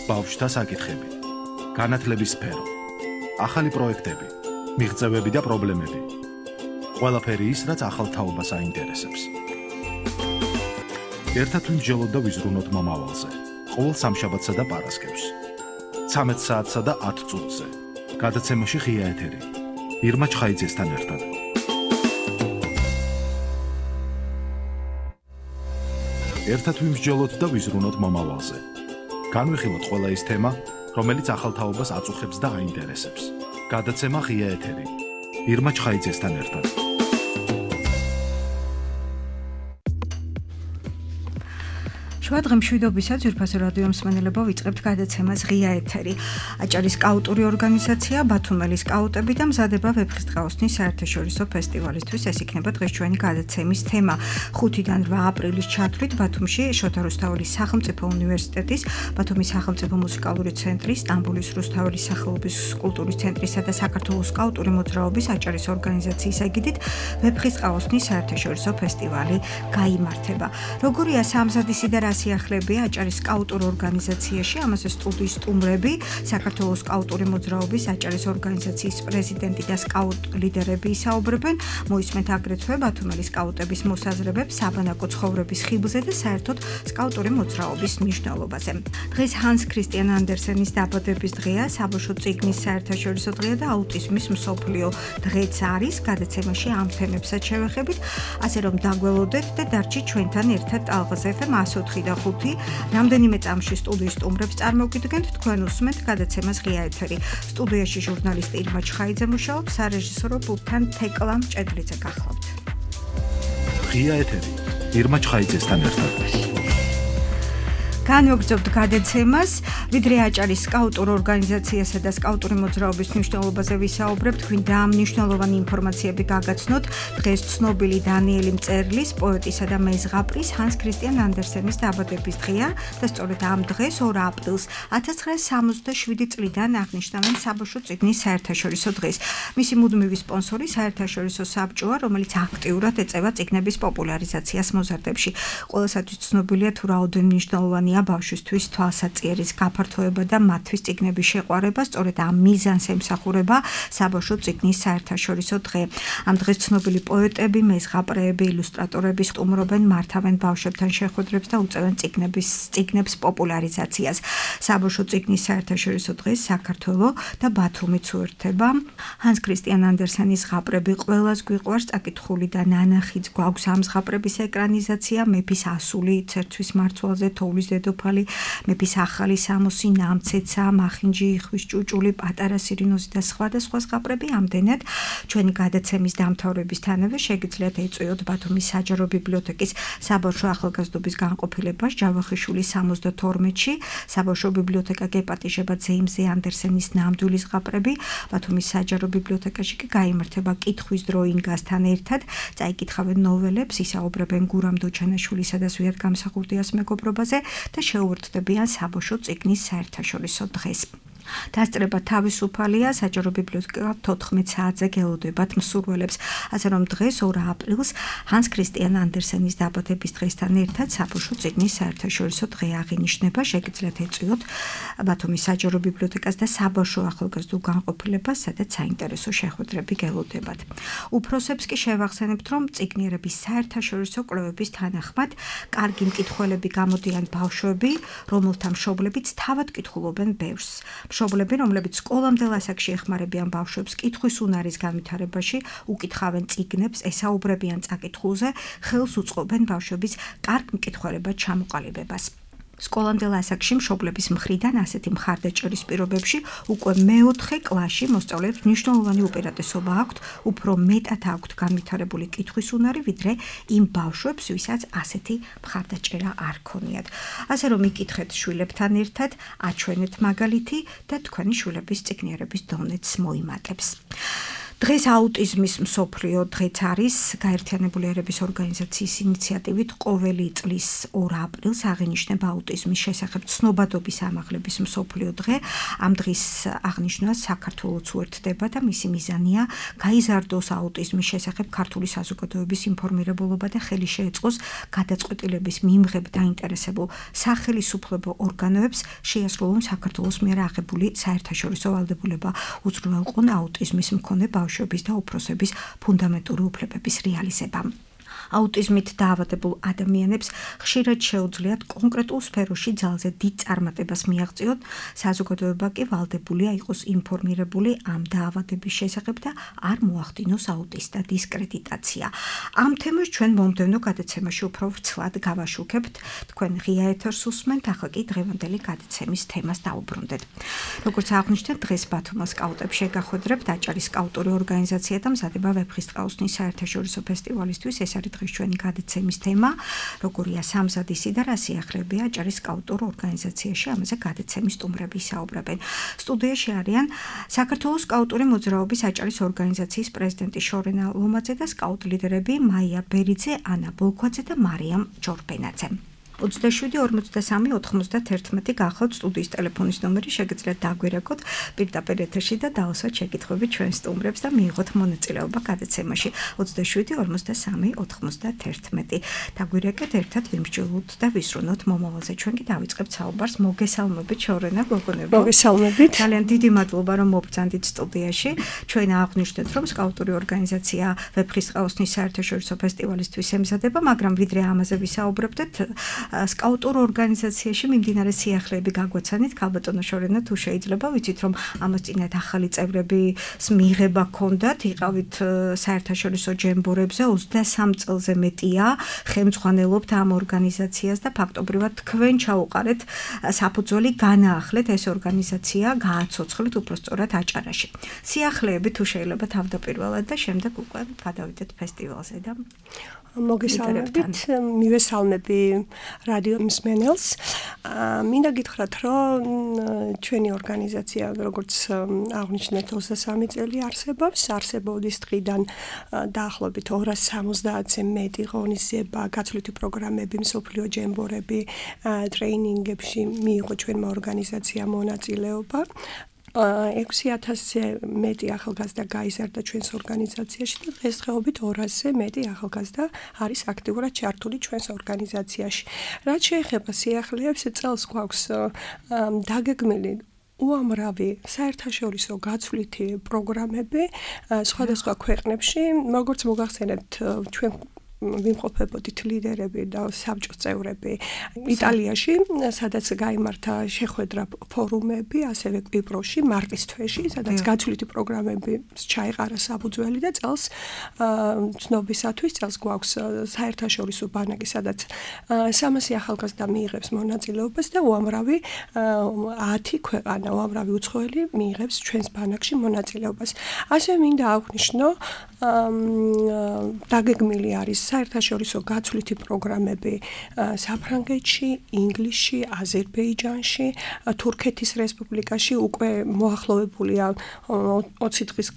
ბავშვთა საკითხები, განათლების სფერო, ახალი პროექტები, მიღწევები და პრობლემები. ყველაფერი ის, რაც ახალ თაობას აინტერესებს. ერთად ვიმსჯელოთ და ვიზრუნოთ მომავალზე. ყოველ სამშაბათსა და პარასკევს. 13 საათსა და 10 წუთზე. გადაცემაში ღია ეთერი. ირმა ჩხაიძესთან ერთად. ერთად ვიმსჯელოთ და ვიზრუნოთ მომავალზე. განვიხილოთ ყველა ის თემა, რომელიც ახალ თაობას აწუხებს და აინტერესებს. გადაცემა ღია ეთერი. ირმა ჩხაიძესთან ერთად. შუადღე მშვიდობისა ძვირფასო რადიო მსმენელებო, ვიწყებთ გადაცემას ღია ეთერი. აჭარის სკაუტური ორგანიზაცია ბათუმელის სკაუტები და მზადება ვეფხისტყაოსნის საერთაშორისო ფესტივალისთვის. ეს იქნება დღეს ჩვენი გადაცემის თემა. 5-დან 8 აპრილის ჩათვლით ბათუმში შოთა რუსთაველის სახელმწიფო უნივერსიტეტის, ბათუმის სახელმწიფო მუსიკალური ცენტრის, სტამბოლის რუსთაველის სახელობის კულტურის ცენტრისა და საქართველოს სკაუტური მოძრაობის აჭარის ორგანიზაციის ეგიდით ვეფხისტყაოსნის საერთაშორისო ფესტივალი გაიმართება. როგორია სამზადისი და სიახლებია აჭარის სკაუტურ ორგანიზაციაში, ამაზე სტუდიის სტუმრები, საქართველოს სკაუტური მოძრაობის აჭარის ორგანიზაციის პრეზიდენტი და სკაუტ ლიდერები ისაუბრებენ, მოისმენთ აგრეთვე ბათუმელის სკაუტების მოსაზრებებს საბანაკო ცხოვრების ხიბლზე და საერთოდ სკაუტური მოძრაობის მნიშვნელობაზე. დღეს ჰანს ქრისტიან ანდერსენის დაბადების დღეა, საბავშვო წიგნის საერთაშორისო დღეა და აუტიზმის მსოფლიო დღეც არის. გადაცემაში ამ თემებსაც შევეხებით, ასე რომ დაგველოდეთ და დარჩით ჩვენთან ერთად ტალღაზე FM 104 და 5 რამდენიმე წამში სტუდიის სტუმრებს წარმოგიდგენთ, თქვენ უსმენთ გადაცემას ღია ეთერი. სტუდიაში ჟურნალისტი ირმა ჩხაიძე მუშაობს, სარეჟისორო პულტთან თეკლა მჭედლიძე გახლავთ. ღია ეთერი. ირმა ჩხაიძესთან ერთად. განვაგრძობთ გადაცემას, ვიდრე აჭარის სკაუტურ ორგანიზაციასა და სკაუტური მოძრაობის მნიშვნელობაზე ვისაუბრებთ, გვინდა ამ მნიშვნელოვანი ინფორმაციები გაგაცნოთ. დღეს ცნობილი დანიელი მწერლის, პოეტისა და მეზღაპრის ჰანს ქრისტიან ანდერსენის დაბადების დღეა და სწორედ ამ დღეს 2 აპრილს 1967 წლიდან აღნიშნავენ საბავშვო წიგნის საერთაშორისო დღეს. მისი მუდმივი სპონსორი საერთაშორისო საბჭოა, რომელიც აქტიურად ეწევა წიგნების პოპულარიზაციას მოზარდებში. ყველასათვის ცნობილია თუ რაოდენ მნიშვნელოვანი ბავშვისთვის თვალსაწიერის გაფართოება და მათთვის წიგნების შეყვარება, სწორედ ამ მიზანს ემსახურება საბავშვო წიგნის საერთაშორისო დღე. ამ დღეს ცნობილი პოეტები, მეზღაპრეები, ილუსტრატორები სტუმრობენ, მართავენ ბავშვებთან შეხვედრებს და უწევენ წიგნებს პოპულარიზაციას. საბავშვო წიგნის საერთაშორისო დღეს საქართველო და ბათუმიც უერთდება. ჰანს ქრისტიან ანდერსენის ზღაპრები ყველას გვიყვარს, წაკითხული და ნანახიც გვაქვს ამ ზღაპრების ეკრანიზაცია, მეფის ასული, ცერთვის მარცვალზე, თოვლის დედოფალი, მეფის ახალი სამოსი, ნამცეცა, მახინჯი, იხვის ჭუჭული, პატარა სირინოზი და სხვადასხვა ზღაპრები. ამდენად ჩვენი გადაცემის დამთავრებისთანავე შეგიძლიათ ეწვიოთ ბათუმის საჯარო ბიბლიოთეკის საბავშვო ახალგაზრდობის განყოფილებას ჯავახიშვილის 72-ში. საბავშვო ბიბლიოთეკა გეპატიჟება ძეიმზე ანდერსენის ნამდვილი ზღაპრები. ბათუმის საჯარო ბიბლიოთეკაში კი გაიმართება კითხვის დრო ინგასთან ერთად. წაიკითხავენ ნოველებს, ისაუბრებენ გურამ დოჩანაშვილისა და ზვიად გამსახურდიას მეგობრობაზე და შეუერთდებიან საბავშვო წიგნის საერთაშორისო დღეს. დასწრება თავისუფალია, საჯარო ბიბლიოთეკა 14 საათზე გელოდებათ მსურველებს. ასე რომ დღეს 2 აპრილს ჰანს ქრისტიან ანდერსენის დაბადების დღესთან ერთად საბავშვო წიგნის საერთაშორისო დღე აღინიშნება. შეგიძლიათ ეწვიოთ ბათუმის საჯარო ბიბლიოთეკას და საბავშვო ახალგაზრდულ განყოფილებას, სადაც საინტერესო შეხვედრები გელოდებათ. უფროსებს კი შევახსენებთ, რომ წიგნიერების საერთაშორისო კვლევების თანახმად კარგი მკითხველები გამოდიან ბავშვები, რომელთა მშობლებიც თავად კითხულობენ ბევრს. მშობლები, რომლებიც სკოლამდელ ასაკში ეხმარებიან ბავშვებს კითხვის უნარის განვითარებაში, უკითხავენ წიგნებს, ესაუბრებიან წაკითხულზე, ხელს უწყობენ ბავშვების კარგ მკითხველებად ჩამოყალიბებას. სკოლამდელ ასაკში მშობლების მხრიდან ასეთი მხარდაჭერის პირობებში უკვე მეოთხე კლასში მოსწავლეებს მნიშვნელოვანი უპირატესობა აქვთ, უფრო მეტად აქვთ განვითარებული კითხვის უნარი, ვიდრე იმ ბავშვებს, ვისაც ასეთი მხარდაჭერა არ ქონიათ. ასე რომ იკითხეთ შვილებთან ერთად, აჩვენეთ მაგალითი და თქვენი შვილების წიგნიერების დონეც მოიმატებს. დღეს აუტიზმის მსოფლიო დღეც არის გაერთიანებული ერების ორგანიზაციის ინიციატივით ყოველი წლის 2 აპრილს აღინიშნება აუტიზმის შესახებ ცნობადობის ამაღლების მსოფლიო დღე. ამ დღის აღნიშვნას საქართველოც უერთდება და მისი მიზანია გაიზარდოს აუტიზმის შესახებ ქართული საზოგადოების ინფორმირებულობა და ხელი შეეწყოს გადაწყვეტილების მიმღებ დაინტერესებულ სახელისუფლებო ორგანოებს შეასრულონ საქართველოს მიერ აღებული საერთაშორისო ვალდებულება უზრუნველყონ აუტიზმის მქონე ბავშვების და უფროსების ფუნდამენტური უფლებების რეალიზება. აუტიზმით დაავადებულ ადამიანებს ხშირად შეუძლიათ კონკრეტულ სფეროში ძალზე დიდ წარმატებას მიაღწიონ, საზოგადოება კი ვალდებულია იყოს ინფორმირებული ამ დაავადების შესახებ და არ მოახდინოს აუტისტთა დისკრედიტაცია. ამ თემას ჩვენ მომდევნო გადაცემაში უფრო ვრცლად გავაშუქებთ. თქვენ ღია ეთერს უსმენთ, ახლა კი დღევანდელი გადაცემის თემას დავუბრუნდეთ. როგორც აღნიშნეთ, დღეს ბათუმის სკაუტებს შეგახვედრებთ აჭარის სკაუტური ორგანიზაცია და მზადება ვეფხისტყაოსნის საერთაშორისო ფესტივალისთვის. ეს არის დღეს ჩვენი გადაცემის თემა, როგორია სამზადისი და რა სიახლეებია აჭარის სკაუტურ ორგანიზაციაში, ამაზე გადაცემის სტუმრები ისაუბრებენ. სტუდიაში არიან საქართველოს სკაუტური მოძრაობის აჭარის ორგანიზაციის პრეზიდენტი შორენა ლომაძე და სკაუტ ლიდერები მაია ბერიძე, ანა ბოლქვაძე და მარიამ ჯორბენაძე. 27-43-91 გახავთ სტუდიის ტელეფონის ნომერი, შეგიძლიათ დაგვირეკოთ პირდაპირ ეთერში და დაუსვათ შეკითხვები ჩვენ სტუმრებს და მიიღოთ მონაწილეობა გადაცემაში. 27-43-91 დაგვირეკეთ, ერთად ვიმსჯელოთ და ვისრუნოთ მომავალზე. ჩვენ კი დავიწყებთ საუბარს. მოგესალმებით შორენა გოგონებო. მოგესალმებით. ძალიან დიდი მადლობა რომ მობრძანდით სტუდიაში. ჩვენ აღნიშნეთ რომ სკაუტური ორგანიზაცია ვეფხისტყაოსნის საერთაშორისო ფესტივალისთვის ემზადება, მაგრამ ვიდრე ამაზე ვისაუბრებდეთ, სკაუტურ ორგანიზაციაში მიმდინარე სიახლეები გაგვაცანით. ქალბატონო შორენა, თუ შეიძლება, ვიცით რომ ამას წინათ ახალი წევრების მიღება ჰქონდათ, იყავით საერთაშორისო ჯემბორებზე 23 წელზე მეტია, ხელმძღვანელობთ ამ ორგანიზაციას და ფაქტობრივად თქვენ ჩაუყარეთ საფუძველი განაახლეთ ეს ორგანიზაცია, გააცოცხლეთ უბრალოდ აჭარაში. სიახლეები თუ შეიძლება თავდაპირველად და შემდეგ უკვე გადავიდეთ ფესტივალზე და მოგესალმებით, მივესალმები რადიო მსმენელს. მინდა გითხრათ, რომ ჩვენი ორგანიზაცია, როგორც აღნიშნეთ, 23 წელი არსებობის დღიდან დაახლოებით 270-ზე მეტი ღონისძიება, გაცვლითი პროგრამები, მსოფლიო ჯემბორები, ტრეინინგებში მიიღო ჩვენმა ორგანიზაციამ მონაწილეობა. 6000-ზე მეტი ახალგაზრდა გაიზარდა ჩვენს ორგანიზაციაში და დღესდღეობით 200-ზე მეტი ახალგაზრდა არის აქტიურად ჩართული ჩვენს ორგანიზაციაში. რაც შეეხება სიახლეებს, წელს გვაქვს დაგეგმილი უამრავი საერთაშორისო გაცვლითი პროგრამები სხვადასხვა ქვეყნებში, როგორც მოგახსენებთ, ჩვენ ვიმყოფებოდით ლიდერები და საბჭოს წევრები იტალიაში, სადაც გაიმართა შეხვედრა ფორუმები, ასევე კვიპროსში მარტის თვეში, სადაც გაცვლითი პროგრამები ჩაეყარა საფუძველი და წელს ცნობისათვის წელს გვაქვს საერთაშორისო ბანაკი, სადაც 300 ახალგაზრდა მიიღებს მონაწილეობას და უამრავი 10 ქვეყანა, უამრავი უცხოელი მიიღებს ჩვენს ბანაკში მონაწილეობას. ასევე მინდა აღვნიშნო, დაგეგმილი არის საერთაშორისო გაცვლითი პროგრამები საფრანგეთში, ინგლისში, აზერბაიჯანში, თურქეთის რესპუბლიკაში. უკვე მოახლოვებულია 20 დღის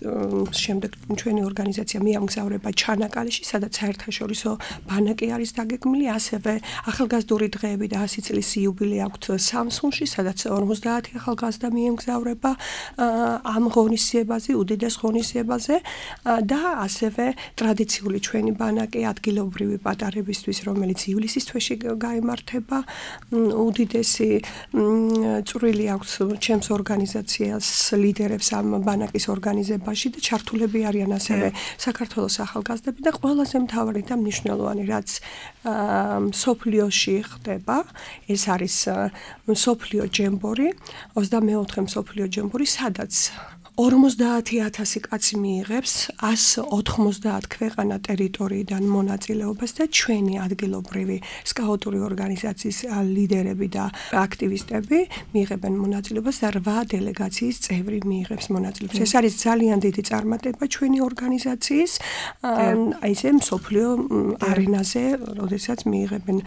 შემდეგ ჩვენი ორგანიზაცია მიამგზავრება ჩანაკალეში, სადაც საერთაშორისო ბანაკი არის დაგეგმილი. ასევე ახალგაზრდული დღეები და 100 წლის იუბილე აქვთ სამსუნში, სადაც 50 ახალგაზრდა მიემგზავრება ამ ღონისძიებაზე, უდიდეს ღონისძიებაზე და ასევე ტრადიციული ჩვენი ბანაკი ადგილობრივი პატარებისთვის, რომელიც ივლისის თვეში გაიმართება. უდიდესი წვრილი აქვს ჩემს ორგანიზაციას ლიდერებს ამ ბანაკის ორგანიზებაში და ჩართულები არიან ასევე საქართველოს ახალგაზრდები და ყველაზე მთავარი და მნიშვნელოვანი, რაც მსოფლიოში ხდება, ეს არის მსოფლიო ჯემბორი, 24 მსოფლიო ჯემბორი, სადაც 50,000 კაცი მიიღებს 190 ქვეყანა ტერიტორიიდან მონაწილეობას და ჩვენი ადგილობრივი სკაუტური ორგანიზაციის ლიდერები და აქტივისტები მიიღებენ მონაწილეობას და 8 დელეგაციის წევრი მიიღებს მონაწილეობას. ეს არის ძალიან დიდი წარმატება ჩვენი ორგანიზაციის, ესე მსოფლიო არენაზე, როდესაც მიიღებენ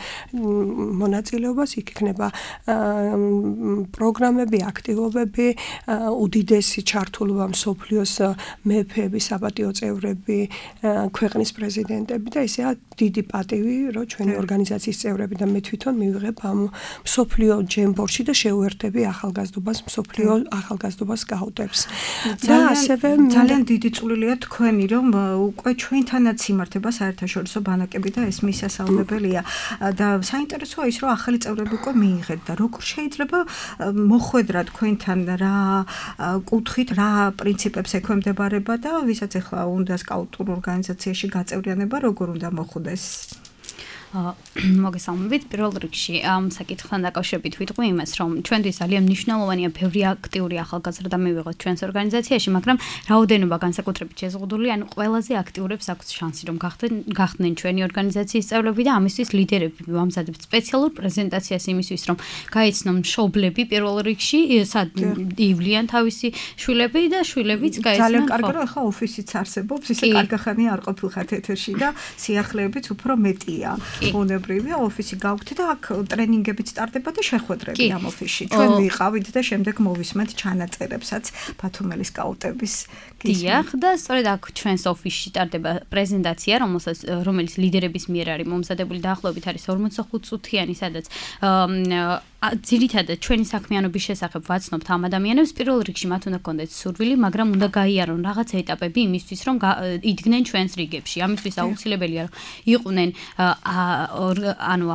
მონაწილეობას, იქ იქნება პროგრამები, აქტივობები, უდიდესი ჩართული ჩართულობა მსოფლიოს მეფეები, საპატიო წევრები, ქვეყნის პრეზიდენტები და ისეა დიდი პატივი, რომ ჩვენი ორგანიზაციის წევრები და მე თვითონ მივიღებ ამ მსოფლიო ჯემბორში და შევუერთდები ახალგაზრდობას, მსოფლიო ახალგაზრდობას გაუტებს. და ასევე ძალიან დიდი წვლილია თქვენი, რომ უკვე ჩვენთანაც იმართება საერთაშორისო ბანაკები და ეს მისასალმებელია და საინტერესოა ის, რომ ახალი წევრები უკვე მიიღეთ და როგორ შეიძლება მოხვედრა თქვენთან რა კუთხით, რა პრინციპებს ექვემდებარება და ვისაც ახლა უნდა სკაუტურ ორგანიზაციაში გაწევრიანება, როგორ უნდა მოხვდეს? მოგესალმებით. პირველ რიგში ამ საკითხთან დაკავშირებით ვიტყვი იმას, რომ ჩვენთვის ძალიან მნიშვნელოვანია ბევრი აქტიური ახალგაზრდა მივიღოთ ჩვენს ორგანიზაციაში, მაგრამ რაოდენობა განსაკუთრებით შეზღუდული, ანუ ყველაზე აქტიურებს აქვს შანსი, რომ გახდნენ ჩვენი ორგანიზაციის წევრები და ამისთვის ლიდერები ვამზადებთ სპეციალურ პრეზენტაციას იმისთვის, რომ გაიცნონ მშობლები პირველ რიგში, სად ივლიან თავისი შვილები და შვილებიც გაიცნონ. ძალიან კარგი, რომ ახლა ოფისიც არსებობს, ისე კარგახანი არ ყოფილხართ ეთერში და სიახლეებიც უფრო მეტია. უნებრივია ოფისი გავხდით და აქ ტრენინგებიც სტარდება და შეხვედრები ამ ოფისში. ჩვენ ვიყავით და შემდეგ მოვისმენთ ჩანაწერებსაც ბათუმელის სკაუტების. დიახ, და სწორედ აქ ჩვენს ოფისში სტარდება პრეზენტაცია, რომელიც ლიდერების მიერ არის მომზადებული დაახლოებით არის 45 წუთიანი, სადაც ძირითადად ჩვენი საქმიანობის შესახებ ვაცნობთ ამ ადამიანებს. პირველ რიგში მათ უნდა გქონდეთ სურვილი, მაგრამ უნდა გაიარონ რაღაც ეტაპები იმისთვის, რომ იდგნენ ჩვენს რიგებში. ამისთვის აუცილებელია, რომ იყვნენ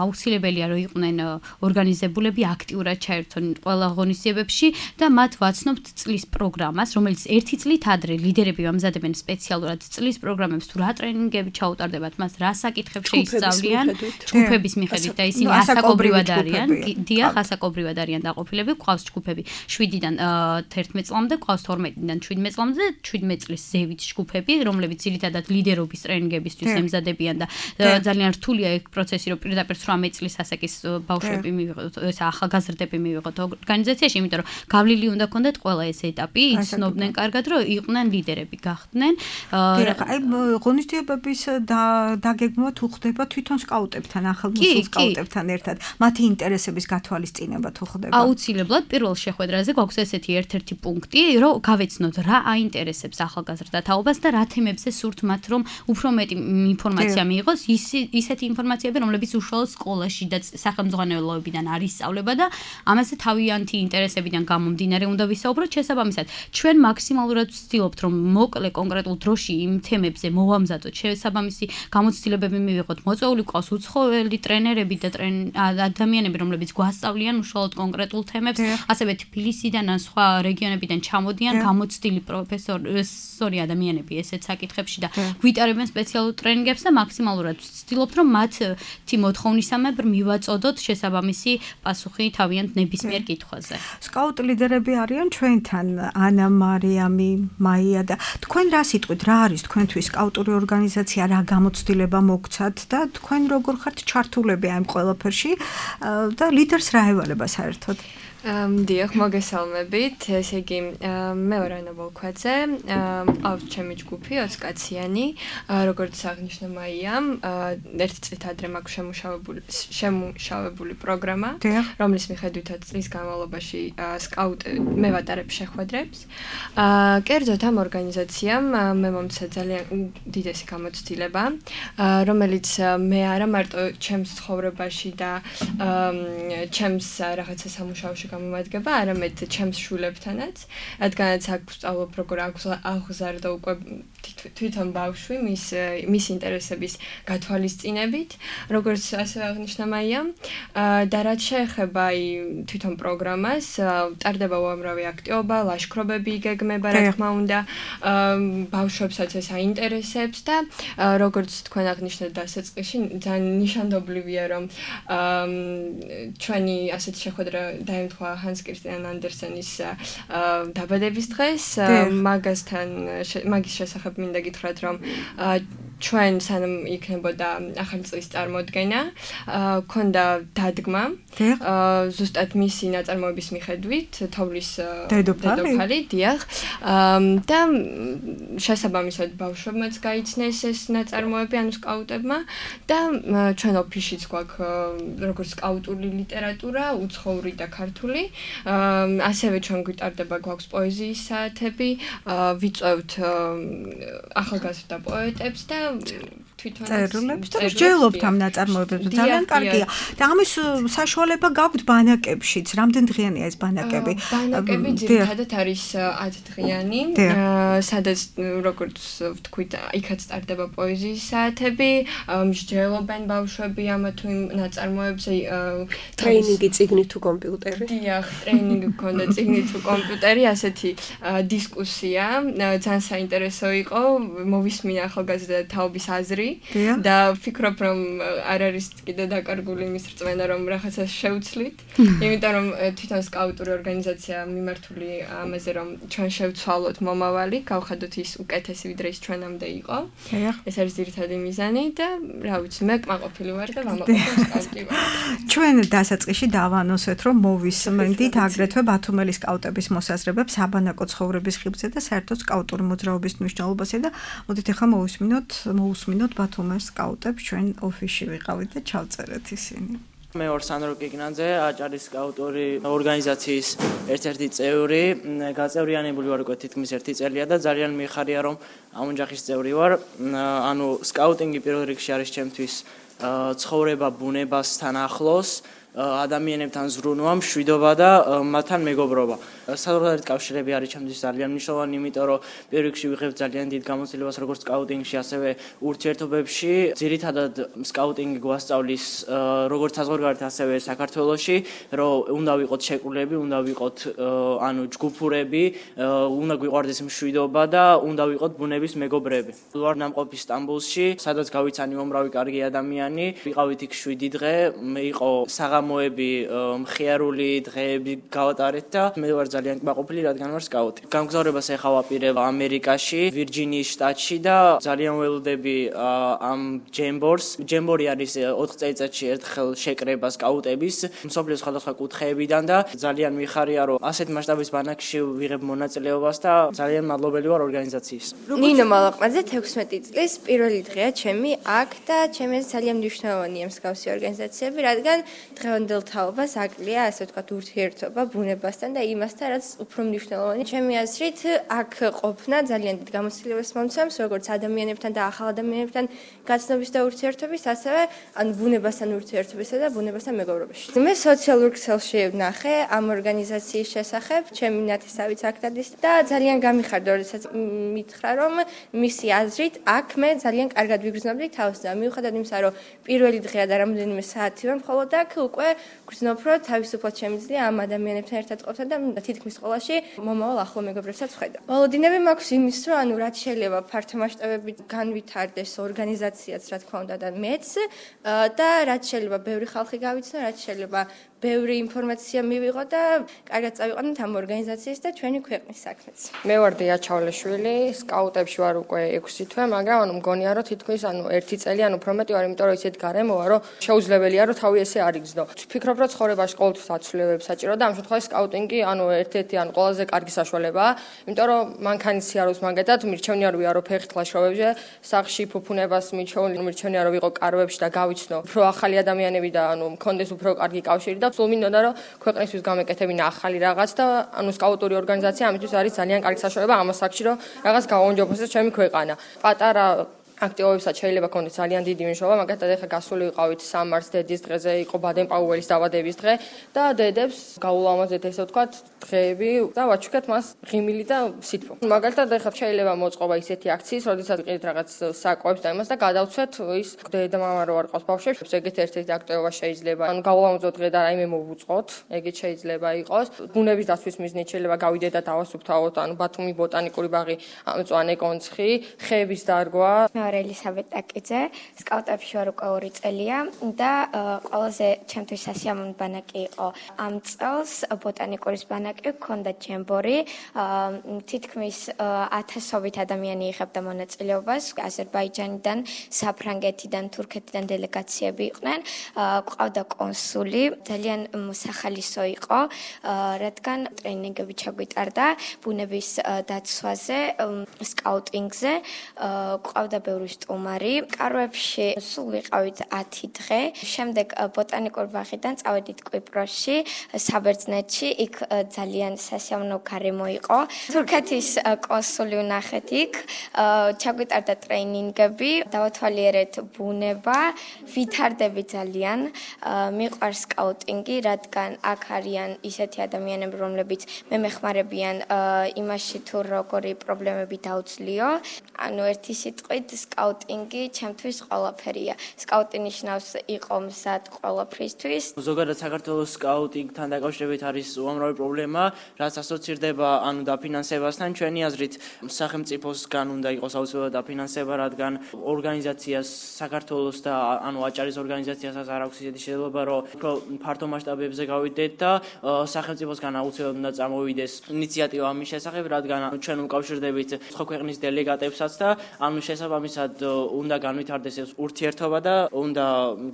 აუცილებელია, რომ იყვნენ ორგანიზებულები, აქტიურად ჩაერთონ ყველა ღონისძიებებში და მათ ვაცნობთ წლის პროგრამას, რომელიც ერთი წლით ადრე ლიდერები ვამზადებენ სპეციალურად წლის პროგრამებს, თუ რა ტრენინგები ჩაუტარდებათ, მას რა საკითხებს შეისწავლიან, ჯგუფების მიხედვით და ისინი ასაკობრივად არიან. დიახ, ასაკობრივად არიან დაყოფილები, გვყავს ჯგუფები 7-დან 11 წლამდე, გვყავს 12-დან 17 წლამდე და 17 წლის ზევით ჯგუფები, რომლებიც ძირითადად ლიდერობის ტრენინგებისთვის ემზადებიან და ძალიან რთულია ეგ პროცესი, რომ პირდაპირ 18 წლის ასაკის ბავშვები მივიღოთ, ეს ახალგაზრდები მივიღოთ ორგანიზაციაში, იმიტომ რომ გავლილი უნდა გქონდეთ ყველა ეს ეტაპი, იცნობდნენ კარგად, რომ იყვნენ ლიდერები, გახდნენ. აი ღონისძიებების დაგეგმვა თუ ხდება თვითონ სკაუტებთან, ახალმოსულ სკაუტებთან ერთად, მათი ინტერესების გათვალისწინება თუ ხდება? აუცილებლად პირველ შეხვედრაზე გვაქვს ესეთი ერთ-ერთი პუნქტი, რომ გავეცნოთ რა აინტერესებს ახალგაზრდა თაობას და რა თემებზე სურთ მათ, რომ უფრო მეტი ინფორმაცია მიიღოს, ისეთი ინფორმაციები, რომლებიც უშუალოდ სკოლაში და სახელმძღვანელოებიდან არის სწავლება და ამაზე თავიანთი ინტერესებიდან გამომდინარე უნდა ვისაუბროთ. შესაბამისად, ჩვენ მაქსიმალურად ვცდილობთ, რომ მოკლე კონკრეტულ დროში იმ თემებზე მოვამზადოთ, შესაბამისი გამოცდილებები მივიღოთ. მოწვეული გვყავს უცხოელი ტრენერები და ადამიანები, რომლებიც გვასწავლიან უშუალოდ კონკრეტულ თემებს, ასევე თბილისიდან ან სხვა რეგიონებიდან ჩამოდიან გამოცდილი პროფესორი ადამიანები ესეთ საკითხებში და გვიტარებენ სპეციალურ ტრენინგებს და მაქსიმალურად ვცდილობთ, რომ მათი მოთხოვნისამებრ მივაწოდოთ შესაბამისი პასუხი თავიანთ ნებისმიერ კითხვაზე. სკაუტ ლიდერები არიან ჩვენთან, ანა, მარიამი, მაია და თქვენ რა სიტყვით, რა არის თქვენთვის სკაუტური ორგანიზაცია, რა გამოცდილება მოგცათ და თქვენ როგორ ხართ ჩართულები ამ ყველაფერში და ლიდერს რა ევალება საერთოდ? დიახ, მოგესალმებით. ესე იგი, მე ვარ ანა ვოლქვაძე, მყავს ჩემი ჯგუფი 20 კაციანი, როგორც აღნიშნა მაიამ, ერთი წლით ადრე მაქვს შემუშავებული პროგრამა, რომლის მიხედვითაც წლის განმავლობაში მე ვატარებ შეხვედრებს. კერძოდ ამ ორგანიზაციამ მე მომცა ძალიან უდიდესი გამოცდილება, რომელიც მე არა მარტო ჩემს ცხოვრებაში და ჩემს რაღაცა სამუშაოში გამომადგება, არამედ ჩემს შვილებთანაც, რადგანაც აქ ვსწავლობ როგორ აღზარდა უკვე თვითონ ბავშვი მის ინტერესების გათვალისწინებით, როგორც ასევე აღნიშნა მაიამ, და რაც შეეხება თვითონ პროგრამას, ტარდება უამრავი აქტივობა, ლაშქრობები იგეგმება, რა თქმა უნდა, ბავშვებსაც ეს აინტერესებს და როგორც თქვენ აღნიშნეთ დასაწყისში, ძალიან ნიშანდობლივია, რომ ჩვენი ასეთი შეხვედრა დაემთხვა ჰანს კრისტიან ანდერსენის დაბადების დღეს, მაგის შესახებ მინდა გითხრათ, რომ ჩვენ სანამ იქნებოდა ახალი წლის წარმოდგენა, ქონდა დადგმა. ზუსტად მისი ნაწარმოების მიხედვით, თოვლის დედოფალი, დიახ. და შესაბამისად ბავშვებმაც გაიცნეს ეს ნაწარმოები, ანუ სკაუტებმა და ჩვენ ოფისშიც გვაქვს როგორც სკაუტური ლიტერატურა, უცხოური და ქართული. ასევე ჩვენ გვიტარდება გვაქვს პოეზიის საათები, ვიწევთ ახალგაზრდა პოეტებს და თვითონ წერილებს და მსჯელობთ ამ ნაწარმოებებს. ძალიან კარგია. და ამის საშუალება გაქვთ ბანაკებშიც. რამდენ დღიანია ეს ბანაკები? ბანაკები ძირითადად არის 10 დღიანი, სადაც როგორც ვთქვით, იქაც სტარდება პოეზიის საათები, მსჯელობენ ბავშვები ამ თუ იმ ნაწარმოებზე ტრეინინგი წიგნი თუ კომპიუტერი. დიახ, ტრეინინგი გქონდა წიგნი თუ კომპიუტერი, ასეთი დისკუსია, ძალიან საინტერესო იყო, მოვისმინა ახალგაზრდა თაობის აზრი. და ვფიქრობ, რომ არ არის კიდე დაკარგული იმის რწმენა, რომ რაღაცას შევცვლით. იმიტომ რომ თვითონ სკაუტური ორგანიზაცია მიმართული ამაზე, რომ ჩვენ შევცვალოთ მომავალი, გავხადოთ ის უკეთესი, ვიდრე ის ჩვენამდე იყო. ეს არის ძირითადი მიზანი და რა ვიცი, მე კმაყოფილი ვარ და ვამაყობ სკაუტი ვარ. ჩვენ დასაწყისში დავანონსეთ, რომ მოვისმენდით აგრეთვე ბათუმელი სკაუტების მოსაზრებებს საბანაკო ცხოვრების ხიბზე და საერთოდ სკაუტური მოძრაობის მნიშვნელობაზე და მოდით ახლა მოусმინოთ ბათუმის სკაუტებს ჩვენ ოფისში ვიყავით და ჩავწერეთ ისინი. მე ვარ სანდრო კიგნაძე, აჭარის სკაუტური ორგანიზაციის ერთ-ერთი წევრი, გაწევრიანებული ვარ უკვე თითქმის 1 წელია და ძალიან მიხარია რომ ამ ოჯახის წევრი ვარ. ანუ სკაუტინგი პირველ რიგში არის ჩემთვის ცხოვრება ბუნებასთან ახლოს, ადამიანებთან ზრუნვა, მშვიდობა და მათთან მეგობრობა. საზოგადოებრივი კავშირები არის ჩემთვის ძალიან მნიშვნელოვანი, იმიტომ რომ პირველ რიგში ვიღებ ძალიან დიდ გამოცდილებას როგორც სკაუტინგში, ასევე ურთიერთობებში. ძირითადად სკაუტინგი გვასწავლის როგორც საზღვარგარეთ, ასევე საქართველოში, რომ უნდა ვიყოთ შეკრულები, უნდა ვიყოთ ანუ ჯგუფურები, უნდა გვიყვარდეს მშვიდობა და უნდა ვიყოთ ბუნების მეგობრები. ვარ ნამყოფი სტამბოლში, სადაც გავიცანი უმრავი კარგი ადამიანი, ვიყავით იქ 7 დღე, იყო საღამოები, მხიარული დღეები გავატარეთ და მე ვარ ძალიან კმაყოფილი, რადგან ვარ სკაუტი. გამგზავრებას ეხლა ვაპირებ ამერიკაში, ვირჯინიის შტატში და ძალიან ველოდები ამ ჯემბორს. ჯემბორი არის 4 წელიწადში ერთხელ შეკრება სკაუტების მსოფლიოს სხვადასხვა კუთხეებიდან და ძალიან მიხარია, რომ ასეთ მასშტაბის ბანაკში ვიღებ მონაწილეობას და ძალიან მადლობელი ვარ ორგანიზაციის. ნინო მალაყმაძე 16 წლის პირველი დღეა ჩემი აქ და ჩემს ძალიან მნიშვნელოვანია მსგავსი ორგანიზაციები, რადგან დღევანდელ თაობას აკლია, ასე ვთქვათ, ურთიერთობა ბუნებასთან და იმასთან, რაც უფრო მნიშვნელოვანია. ჩემი აზრით, აქ ყოფნა ძალიან დიდ გამოცდილებას მომცემს, როგორც ადამიანებთან და ახალ ადამიანებთან გაცნობის და ურთიერთობის, ასევე ან ბუნებასთან ურთიერთობისა და ბუნებასთან მეგობრობაში. მე სოციალურ ქსელში ვნახე ამ ორგანიზაციის შესახებ, ჩემი ნათესავიც აქ დადის და ძალიან გამიხარდა, როდესაც მითხრა, რომ მისი აზრით, აქ მე ძალიან კარგად ვიგრძნობდი თავს და მიუხედავად იმისა, რომ პირველი დღეა და რამდენიმე საათი ვარ მხოლოდ აქ უკვე გრძნობ, რომ თავისუფლად შემიძლია ამ ადამიანებთან ერთად ყოფნა და თითქმის ყველაში მომავალ ახლო მეგობრებსაც ვხედავ. ვალოდინები მაქვს იმის, რომ ანუ რაც შეიძლება ფართო მასშტაბებით განვითარდეს ორგანიზაციაც, რა თქმა უნდა და მეც და რაც შეიძლება ბევრი ხალხი გავიცნო, რაც შეიძლება ბევრი ინფორმაცია მივიღო და კარგად წავიყვანოთ ამ ორგანიზაციის და ჩვენი ქვეყნის საქმეც. მე ვარ დია ჩავლეშვილი, სკაუტებში ვარ უკვე 6 თვე, მაგრამ ანუ მგონია რომ თითქმის ანუ 1 წელი ან უფრო მეტი ვარ, იმიტომ რომ ისეთ გარემოა, რომ შეუძლებელია რომ თავი ესე არ იგრძნო. ვფიქრობ, რომ ცხოვრებაში ყოველთვის აცვლილებებს საჭირო და ამ შემთხვევაში სკაუტინგი ანუ ერთ-ერთი ანუ ყველაზე კარგი საშუალებაა, იმიტომ რომ მანქანის სიარულს მაგათად მირჩევნია რომ ვიარო ფეხით ლაშქრობებზე, სახში ფუფუნებას მირჩევნია რომ ვიყო კარვებში და გავიცნო უფრო ახალი ადამიანები და ანუ მქონდეს უფრო კარგი კავშირი და სულ მინდოდა რომ ქვეყნისთვის გამეკეთებინა ახალი რაღაც და ანუ სკაუტური ორგანიზაცია ამისთვის არის ძალიან კარგი საშუალება ამ ასაკში რომ რაღაც გავაუნჯობესოს ჩემი ქვეყანა. პატარა აქტივობებსაც შეიძლება ქონდეს ძალიან დიდი მნიშვნელობა, მაგათაც ახლა გასული ვიყავით სამარს დედის დღეზე, იყო ბადენ-პაუელის დაბადების დღე და დედებს გაულამაზეთ ესე ვთქვათ დღეები და ვაჩუქეთ მას ღიმილი და სითბო. მაგალითად ახლა შეიძლება მოწყობა ისეთი აქციის, როდესაც ვიყიდით რაღაც საკვებს და იმას და გადავცვეთ ის დედა-მამა რო არ ყავს ბავშვებს, ეგეთ ერთ-ერთი აქტივობა შეიძლება. ანუ გაულამაზოთ დღე და რაიმე მოვუწყოთ, ეგეთ შეიძლება იყოს. ბუნების დაცვის მიზნით შეიძლება გავიდეთ და დავასუფთავოთ, ანუ ბათუმი ბოტანიკური ბაღი, ამწვანე კონცხი, ხეების დარგვა. ვარ ელისაბედ ტაკიძე, სკაუტებში ვარ უკვე 2 წელია და ყველაზე ჩემთვის სასიამოვნო ბანაკი იყო ამ წელს ბოტანიკური ბანაკი, ჰქონდა ჯემბორი, თითქმის 1000-ობით ადამიანი იღებდა მონაწილეობას, აზერბაიჯანიდან, საფრანგეთიდან, თურქეთიდან დელეგაციები იყვნენ, ყავდა კონსული, ძალიან სახალისო იყო, რადგან ტრენინგები ჩაგვიტარდა ბუნების დაცვაზე, სკაუტინგზე, ყავდა ბევრი სტუმარი. კარვებში სულ ვიყავით 10 დღე. შემდეგ ბოტანიკურ ბაღიდან წავედით კვიპროსში, საბერძნეთში, იქ ძალიან სასიამოვნო გარემო იყო. თურქეთის კონსული ვნახეთ იქ, ჩაგვიტარდა ტრენინგები, დავათვალიერეთ ბუნება, ვითარდები ძალიან. მიყვარს სკაუტინგი, რადგან აქ არიან ისეთი ადამიანები, რომლებიც მემეხმარებიან იმაში თუ როგორი პრობლემები დაუძლიო. ანუ ერთი სიტყვით სკაუტინგი ჩემთვის ყველაფერია. სკაუტი ნიშნავს იყო მზად ყველაფრისთვის. ზოგადად საქართველოს სკაუტინგთან დაკავშირებით არის უამრავი პრობლემა, რაც ასოცირდება ანუ დაფინანსებასთან. ჩვენი აზრით, სახელმწიფოსგან უნდა იყოს აუცილებლად დაფინანსება, რადგან ორგანიზაციას საქართველოს და ანუ აჭარის ორგანიზაციასაც არ აქვს ისეთი შეიძლება, რომ უფრო ფართო მასშტაბებზე გავიდეთ და სახელმწიფოსგან აუცილებლად უნდა წარმოვიდეს ინიციატივა ამის შესახებ, რადგან ჩვენ უკავშირდებით სხვა ქვეყნის დელეგატებსაც და ანუ შესაბამისად უნდა განვითარდეს ეს ურთიერთობა და უნდა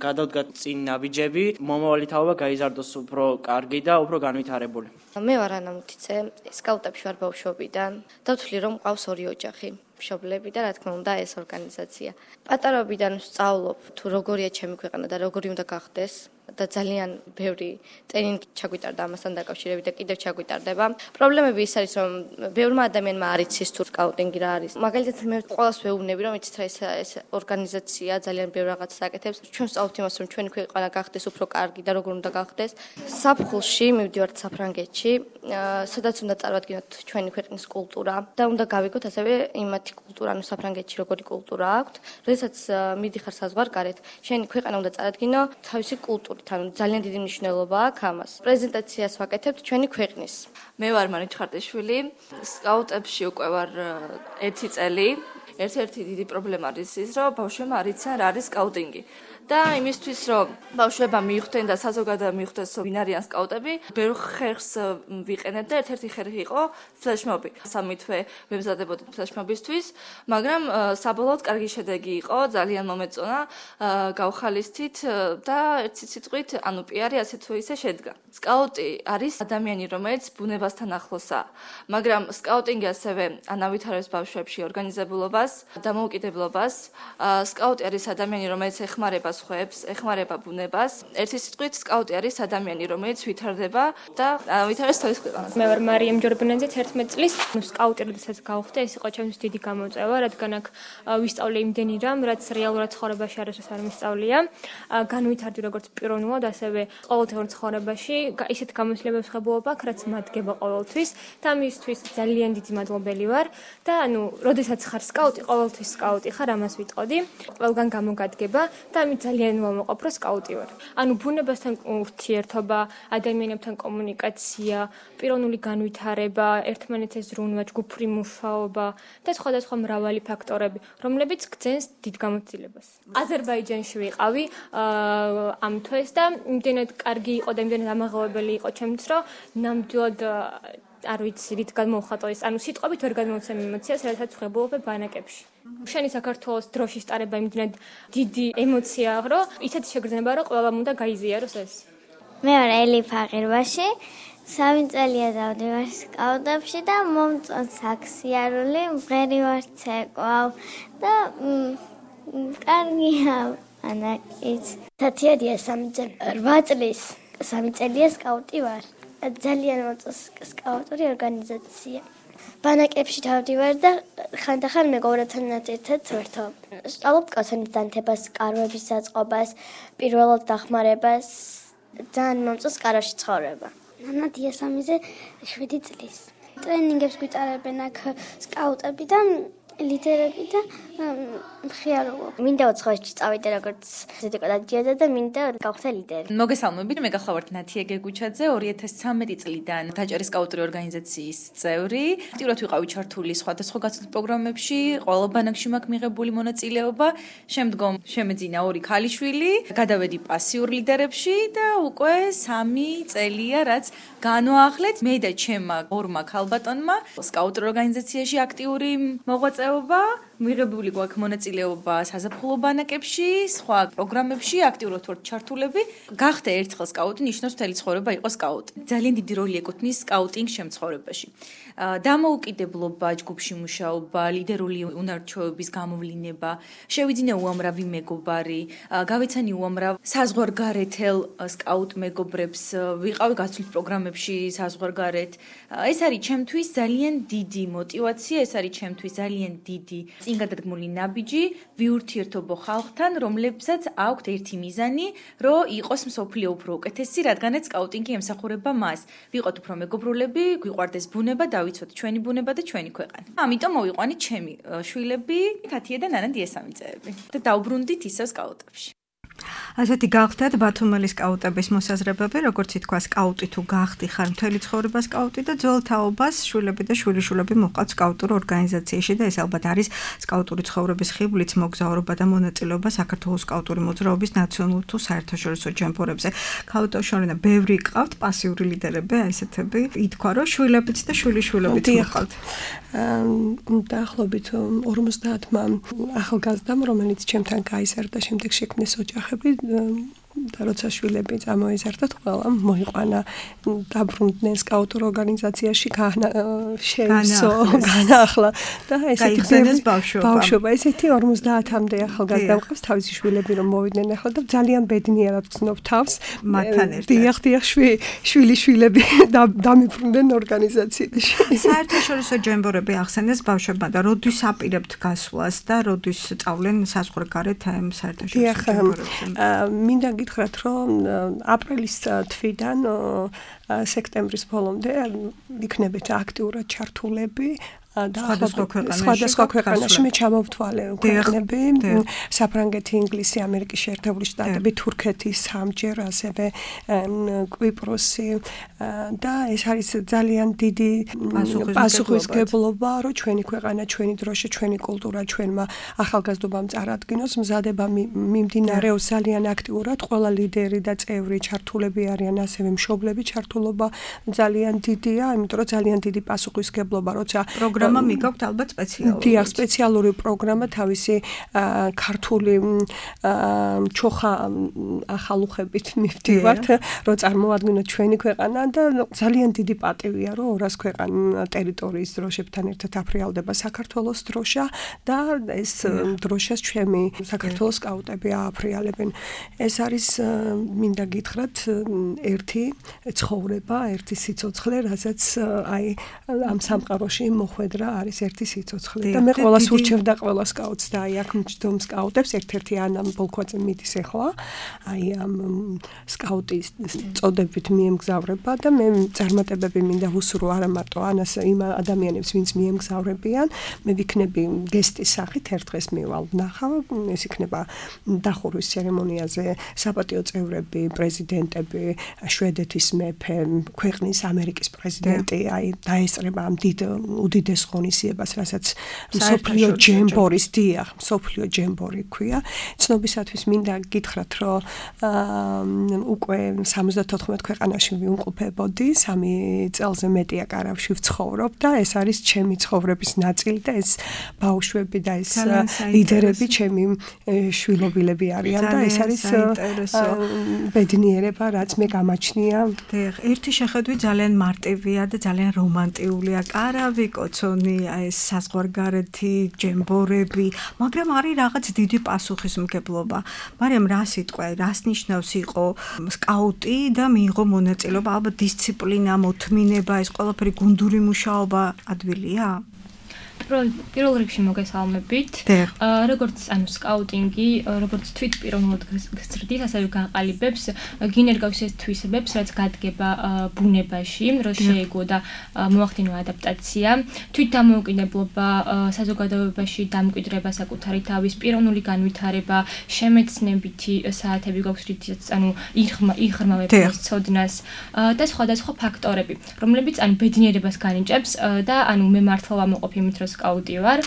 გადავდგათ წინ ნაბიჯები, მომავალი თაობა გაიზარდოს უფრო კარგი და უფრო განვითარებული. მე ვარ ანა მუთიცე, სკაუტებში ვარ ბავშვობიდან. დავთვლი რომ მყავს 2 ოჯახი. მშობლები და რა თქმა უნდა ეს ორგანიზაცია. პატარობიდან ვსწავლობ თუ როგორია ჩემი ქვეყანა და როგორი უნდა გახდეს და ძალიან ბევრი ტრენინგი ჩაგვიტარდა ამასთან დაკავშირებით და კიდევ ჩაგვიტარდება. პრობლემები ის არის რომ ბევრმა ადამიანმა არ იცის თუ სკაუტინგი რა არის. მაგალითად მე ყველას ვეუბნები რომ იცით რა ეს ორგანიზაცია ძალიან ბევრ რაღაცას აკეთებს. ჩვენ ვსწავლობთ იმას რომ ჩვენი ქვეყანა გახდეს უფრო კარგი და როგორ უნდა გახდეს. საფხულში მივდივართ საფრანგეთში, სადაც უნდა წარვადგინოთ ჩვენი ქვეყნის კულტურა და უნდა გავიგოთ ასევე იმათი კულტურა, ანუ საფრანგეთში როგორი კულტურა აქვთ. როდესაც მიდიხარ საზღვარგარეთ, შენი ქვეყანა უნდა წარადგინო თავისი კულტურით, ანუ ძალიან დიდი მნიშვნელობა აქვს ამას. პრეზენტაციას ვაკეთებთ ჩვენი ქვეყნის. მე ვარ მარიჩ ხარტიშვილი, სკაუტებში უკვე ვარ 1 წელი. ერთ-ერთი დიდი პრობლემა არის ის, რომ ბავშვებმა არ იციან რა არის სკაუტინგი. და იმისთვის რომ ბავშვებმა მიხვდნენ და საზოგადოება მიხვდეს ვინ არიან სკაუტები, ბევრ ხერხს ვიყენებ და ერთ-ერთი ხერხი იყო ფლეშმობი. 3 თვე ვემზადებოდით ფლეშმობისთვის, მაგრამ საბოლოოდ კარგი შედეგი იყო, ძალიან მომეწონა, გავხალისთით და ერთი სიტყვით, ანუ პიარი ასე თუ ისე შედგა. სკაუტი არის ადამიანი, რომელიც ბუნებასთან ახლოსაა, მაგრამ სკაუტინგი ასევე ანავითარებს ბავშვებში ორგანიზებულობას, დამოუკიდებლობას. სკაუტი არის ადამიანი, რომელიც ეხმარება სხვებს, ეხმარება ბუნებას. ერთი სიტყვით, სკაუტი არის ადამიანი, რომელიც ვითარდება და ვითარებს თავის ქვეყანას. მე ვარ მარიამ ჯორბანაძე, 11 წლის. სკაუტი როდესაც გავხდე, ეს იყო ჩემთვის დიდი გამოწვევა, რადგან აქ ვისწავლე იმდენი რამ, რაც რეალურად ცხოვრებაში არასდროს არ მისწავლია. განვითარდი როგორც პიროვნულად, ასევე ყოველდღიურ ცხოვრებაში, ისეთ გამოცდილებებს ხებულობ აქ, რაც მადგება ყოველთვის და მისთვის ძალიან დიდი მადლობელი ვარ და ანუ, როდესაც ხარ სკაუტი, ყოველთვის სკაუტი ხარ, ამას ვიტყოდი. ყველგან გამოგადგება და ამით ძალიან მომაყოფ, რომ სკაუტი ვარ. ანუ ბუნებასთან ურთიერთობა, ადამიანებთან კომუნიკაცია, პიროვნული განვითარება, ერთმანეთს ზრუნვა, ჯგუფური მუშაობა და სხვადასხვა მრავალი ფაქტორები, რომლებიც გძენს დიდ გამოცდილებას. აზერბაიჯანში ვიყავი ამ თვეს და იმდენად კარგი იყო და იმდენად ამაღლებელი იყო ჩემთვის, რომ ნამდვილად არ ვიცი რით გადმოვხატო ეს, ანუ სიტყვებით ვერ გადმოვცემ ემოციას, რასაც ვხებულობ ბანაკებში. შენი საქართველოს დროშის ტარება იმდენად დიდი ემოციაა, რომ ისეთი შეგრძნება, რომ ყველამ უნდა გაიზიაროს ეს. მე ვარ ელი ფაღირბაში, 3 წელია დავდივარ სკაუტებში და მომწონს აქ სიარული, მღერი ვარ ცეკვავ და კარგია ბანაკიც. თათიადია 8 წლის, 3 წელია სკაუტი ვარ. ძალიან მომწონს სკაუტური ორგანიზაცია. ბანაკებში დავდივარ და ხანდახან მეგობრებთანაც ერთად ვერთობ. ვსწავლობ კაცონის დანთებას, კარვების საწყობას, პირველად დახმარებას. ძალიან მომწონს კარაში ცხოვრება. ნანადია სამიზე 7 წლის. ტრენინგებს გვიტარებენ აქ სკაუტები და ლიდერები და მხიარობა. მინდა უცხოეთში წავიდე როგორც ზედიკო დადიოდა და მინდა გავხდე ლიდერი. მოგესალმებით, მე გახლავართ ნათია გეგუჩაძე, 2013 წლიდან დაჭერის სკაუტური ორგანიზაციის წევრი. აქტიურად ვიყავი ჩართული სხვადასხვა გაცნობით პროგრამებში, ყველა ბანაკში მაქვს მიღებული მონაწილეობა. შემდგომ შემეძინა 2 ქალიშვილი, გადავედი პასიურ ლიდერებში და უკვე 3 წელია, რაც განვაახლეთ მე და ჩემმა 2 ქალბატონმა სკაუტურ ორგანიზაციაში აქტიური მოღვაწეობა. მიღებული გვაქვს მონაწილეობა საზაფხულო ბანაკებში, სხვა პროგრამებში, აქტიურად ვართ ჩართულები. გახდა ერთხელ სკაუტი, ნიშნავს მთელი ცხოვრება იყო სკაუტი. ძალიან დიდი როლი ეკუთვნის სკაუტინგ შემცხოვრებაში. დამოუკიდებლობა, ჯგუფში მუშაობა, ლიდერული უნარჩვევების გამოვლინება, შევიძინე უამრავი მეგობარი, გავეცანი უამრავ საზღვარგარეთელ სკაუტ მეგობრებს, ვიყავი გაცვლით პროგრამებში საზღვარგარეთ. ეს არის ჩემთვის ძალიან დიდი мотиваცია, ეს არის ჩემთვის ძალიან დიდი წინ გადადგმული ნაბიჯი ვიურთიერთობო ხალხთან, რომლებსაც აქვთ ერთი მიზანი, რომ იყოს მსოფლიო უფრო უკეთესი, რადგანაც სკაუტინგი ემსახურება მას. ვიყოთ უფრო მეგობრულები, გვიყვარდეს ბუნება, დავიცოთ ჩვენი ბუნება და ჩვენი ქვეყანა. ამიტომ მოვიყვანით ჩემი შვილები, თათია და ნანა დიესამიწეები და დავბრუნდით ისევ სკაუტებში. ასეთი გახდათ ბათუმელი სკაუტების მოსაზრებები, როგორც ითქვა, სკაუტი თუ გახდი ხარ მთელი ცხოვრება სკაუტი და ძველ თაობას შვილები და შვილიშვილები მოყავთ სკაუტურ ორგანიზაციაში და ეს ალბათ არის სკაუტური ცხოვრების ხიბლიც მოგზაურობა და მონაწილეობა საქართველოს სკაუტური მოძრაობის ნაციონალურ თუ საერთაშორისო ჯამპორებზე. ქალბატონშორინა ბევრი ყავთ პასიური ლიდერები, ესეთები. ითქვა, რომ შვილებიც და შვილიშვილებიც მოყავთ. დაახლოებით 50-მა ახალგაზრდამ, რომელიც ჩემთან გაიზარდა, შემდეგ შექმნეს ოჯახები და როცა შვილები წამოიზარდათ, ყველა მოიყვანა დაბრუნდნენ სკაუტურ ორგანიზაციაში, შეივსო, განაახლა და ესეთი ბავშვობა. ესეთი 50-მდე ახალგაზრდა მყავს თავისი შვილები რომ მოვიდნენ ახლა და ძალიან ბედნიერად ვცნობ თავს მათთან ერთად. დიახ, შვილიშვილები დამიბრუნდნენ ორგანიზაციაში. საერთაშორისო ჯემბორები ახსენეს ბავშვებმა და როდის აპირებთ გასვლას და როდის წავლენ საზღვარგარეთ ამ საერთაშორისო ჯემბორებზე? მინდა გითხრათ, რომ აპრილის თვიდან სექტემბრის ბოლომდე იქნებით აქტიურად ჩართულები სხვადასხვა ქვეყანაში მე ჩამოვთვალე ქვეყნები, საფრანგეთი, ინგლისი, ამერიკის შეერთებული შტატები, თურქეთი, სამჯერ, ასევე კვიპროსი და ეს არის ძალიან დიდი პასუხისმგებლობა, რომ ჩვენი ქვეყანა, ჩვენი დროშა, ჩვენი კულტურა ჩვენმა ახალგაზრდობამ წარადგინოს, მზადება მიმდინარეობს ძალიან აქტიურად, ყველა ლიდერი და წევრი ჩართულები არიან, ასევე მშობლები ჩართულობა ძალიან დიდია, იმიტომ რომ ძალიან დიდი პასუხისმგებლობა, როცა პროგრამა მიგაქვთ ალბათ სპეციალური. დიახ, სპეციალური პროგრამა თავისი ქართული ჩოხა ახალუხებით მივდივართ, რომ წარმოვადგინოთ ჩვენი ქვეყანა და ძალიან დიდი პატივია, რომ 200 ქვეყანა ტერიტორიის დროშებთან ერთად აფრიალდება საქართველოს დროშა და ეს დროშას ჩემი საქართველოს სკაუტები ააფრიალებენ. ეს არის მინდა გითხრათ ერთი ცხოვრება, ერთი სიცოცხლე, რასაც აი ამ სამყაროში მოხვედრა არის ერთი სიცოცხლე და მე ყველას ურჩევ და ყველა სკაუტს და აი აქ მჯდომ სკაუტებს ერთ-ერთი ანა ბოლქვაძე მიდის ახლა აი ამ სკაუტის წოდებით მიემგზავრება და მე წარმატებები მინდა ვუსურო არა მარტო ანას იმ ადამიანებს ვინც მიემგზავრებიან მე ვიქნები გესტის სახით ერთ დღეს მივალ ნახავ ეს იქნება დახურვის ცერემონიაზე საპატიო წევრები პრეზიდენტები შვედეთის მეფე ქვეყნის ამერიკის პრეზიდენტი აი დაესწრება ამ უდიდეს ღონისძიებას, რასაც მსოფლიო ჯემბორის დიახ, მსოფლიო ჯემბორი ქვია. ცნობისათვის მინდა გითხრათ, რომ უკვე 74 ქვეყანაში ვიმყოფებოდი, 3 წელზე მეტია კარავში ვცხოვრობ და ეს არის ჩემი ცხოვრების ნაწილი და ეს ბავშვები და ეს ლიდერები ჩემი შვილობილები არიან და ეს არის ბედნიერება, რაც მე გამაჩნია. დიახ, ერთი შეხედვით ძალიან მარტივია და ძალიან რომანტიულია. კარავი, კოცონი, ეს საზღვარგარეთი, ჯემბორები, მაგრამ არის რაღაც დიდი პასუხისმგებლობა. მაგრამ რა სიტყვა, რას ნიშნავს იყო სკაუტი და მიიღო მონაწილეობა, ალბათ დისციპლინა, მოთმინება, ეს ყველაფერი გუნდური მუშაობა ადვილია? პირველ რიგში მოგესალმებით. როგორც სკაუტინგი, როგორც თვით პიროვნულად გზრდის, ასევე გაყალიბებს, გინერგავს ეს თვისებებს, რაც გადგება ბუნებაში, რომ შეეგო და მოახდინო ადაპტაცია, თვით დამოუკიდებლობა, საზოგადოებაში დამკვიდრება საკუთარი თავის, პიროვნული განვითარება, შემეცნებითი საათები გვაქვს, რითიც იღრმავებს ცოდნას და სხვადასხვა ფაქტორები, რომლებიც ბედნიერებას განიჭებს და მე მართლა ვამოყოფ იმით, რომ სკაუტი ვარ.